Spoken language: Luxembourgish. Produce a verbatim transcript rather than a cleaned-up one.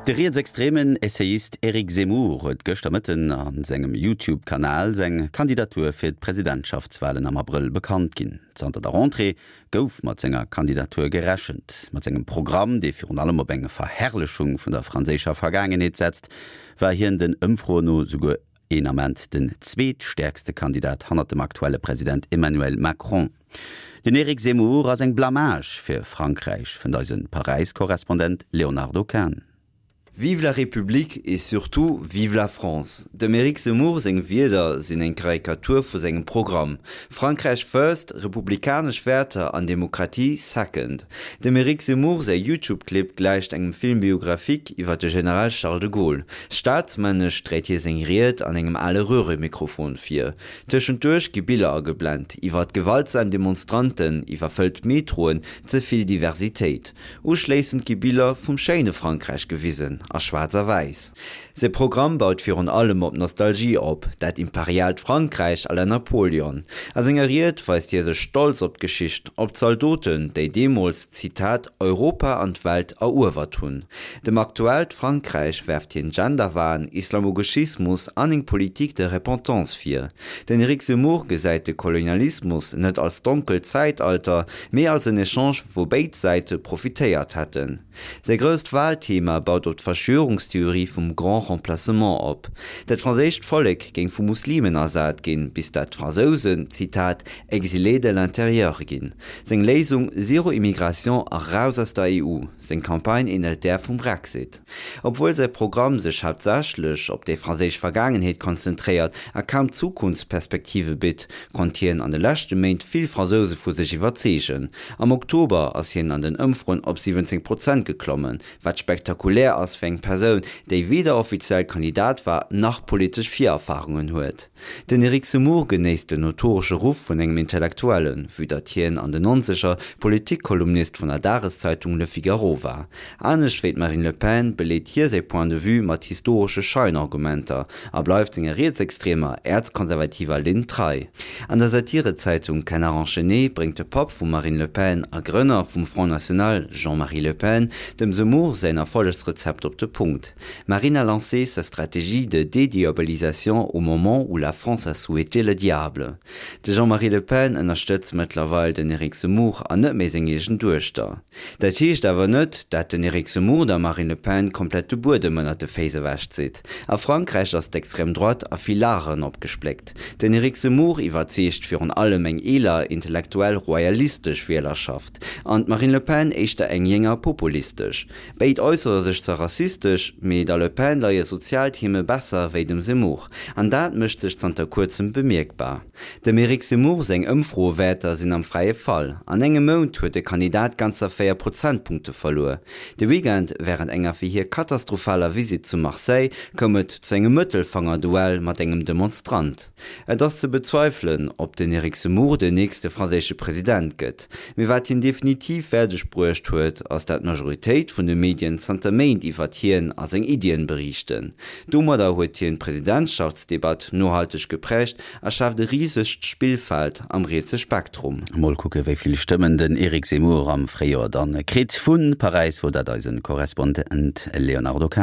De rietsextremen Essayist Éric Zemmour huet gëschter Mëtten a sengem YouTube-Kanal seng Kandidatur fir d'Presidentschaftswalen am Abrëll bekannt ginn. Zanter der Rentrée gouf mat senger Kandidatur gerechent. Mat sengem Programm, dee virun allem op eng Verherrlechung vun der franséischer Vergaangenheet setzt, war hien den Ëmfroen no souguer een Ament den zweetstäerkste Kandidat hannert dem aktuelle President Emmanuel Macron. Den Éric Zemmour ass eng Blamage fir Frankräich, fënnt eise Paräis-Korrespondent Léonardo Kahn. Vive la République et surtout vive la France. Dem Éric Zemmour seng Wierder sinn eng Karikatur vu sengem Programm. Frankräich first, republikanesch Wäerter an Demokratie second. Dem Éric Zemmour säi YouTube-Clip gläicht engem Film biographique iwwer de General Charles de Gaulle. Staatsmännesch dréit hie seng Ried an engem ale Röhremikrofon vir. Tëschenduerch gi Biller ageblent, iwwer gewaltsam Demonstranten, iwwerfëllt Metroen, ze vill Diversitéit. Uschléissend gi Biller vum schéine Frankräich gewisen a schwaarz a wäiss. Säi Programm baut virun allem op Nostalgie op, dat imperiaalt Frankräich à la Napoleon. A senger Ried weist hie sech stolz op d'Geschicht, op d'Zaldoten, déi deemools, Zitat, Europa an d'Welt eruewert hunn. Dem aktuellt Frankräich werft hien Genderwahn, Islamogauchismus an eng Politique de repentance vir. Den Éric Zemmour gesäit de Kolonialismus net als donkelt Zäitalter, mee als en Echange, wou béid Säite profitéiert hätten. Säi grousst Walthema baut op d'Verschwörungstheorie vum Grand Remplacement op. Dat franséischt Vollek géing vu Muslimen ersat ginn, bis dat d'Fransousen, Zitat, exilés de l'intérieur ginn. Seng Léisung Zéro Immigration a raus aus der E U. Seng Campagne änelt där vum Brexit. Obwuel säi Programm sech haaptsächlech op déi franséisch Vergaangenheet konzentréiert a kaum Zukunftsperspektive bitt, konnt hien an de leschte Méint vill Fransouse vu sech iwwerzeegen. Am Oktober ass hien an den Ëmfroen op siwwenzéng Prozent geklommen, wat spektakulär ass fir eng Persoun, déi weder offiziell Kandidat war, nach politesch Virerfarungen huet. Den Éric Zemmour genéisst den notoresche Ruff vun engem Intellektuellen, vue datt hien an den Nonzeger Politikkolumnist vun der Dageszeitung Le Figaro war. Anescht wéi d'Marine Le Pen beleet hie säi Point de vue mat historesche Scheinargumenter a bleift senger rietsextremer, äerzkonservativer Linn trei. An der Satirezeitung Canard enchaîné bréngt de Papp vum Marine Le Pen a Grënner vum Front National, Jean-Marie Le Pen, dem Zemmour säin Erfollegsrezept op de Punkt. Marine a lancé sa stratégie de dédiabolisation au moment où la France a souhaité le diable. De Jean-Marie Le Pen ënnerstëtzt mëttlerweil den Éric Zemmour an net méi seng eegen Duechter. Dat heescht awer net, dat den Éric Zemmour der Marine Le Pen komplett de Buedem ënnert de Féiss ewechzitt. A Frankräich ass d'extrême droite a vill Lageren opgespléckt. Den Éric Zemmour iwwerzeegt virun allem eng eeler, intellektuell royalistesch Wielerschaft, an d'Marine Le Pen éischter eng jénger populistesch. Béid äussere sech zwar rassistesch, mee der Le Pen leie sozial Theme besser wéi dem Zemmour, an dat mécht sech zanter kuerzem bemierkbar. Dem Éric Zemmour seng Ëmfroewäerter sinn am fräie Fall. An engem Mount huet de Kandidat ganzer véier Prozentpunkte verluer. De Weekend, wärend enger fir hie katastrophaler Visitt zu Marseille, koum et zu engem Mëttelfangerduell mat engem Demonstrant. Et ass ze bezweifelen, ob den Éric Zemmour den nächste franséische President gëtt. Mee wat hien definitiv fäerdeg bruecht huet, ass dat d'Majoritéit vun de Medien zanter Méint iwwert hien a seng Iddien beriichten. Domadder huet hien d'Presidentschaftsdebatt nohalteg gepräägt a schaaft e risegt Spillfeld am rietse Spektrum. Mol kucke wéi vill Stëmmen den Éric Zemmour am Fréijoer dann kritt. Vu Paräis wor dat eise Korrespondent Léonardo Kahn.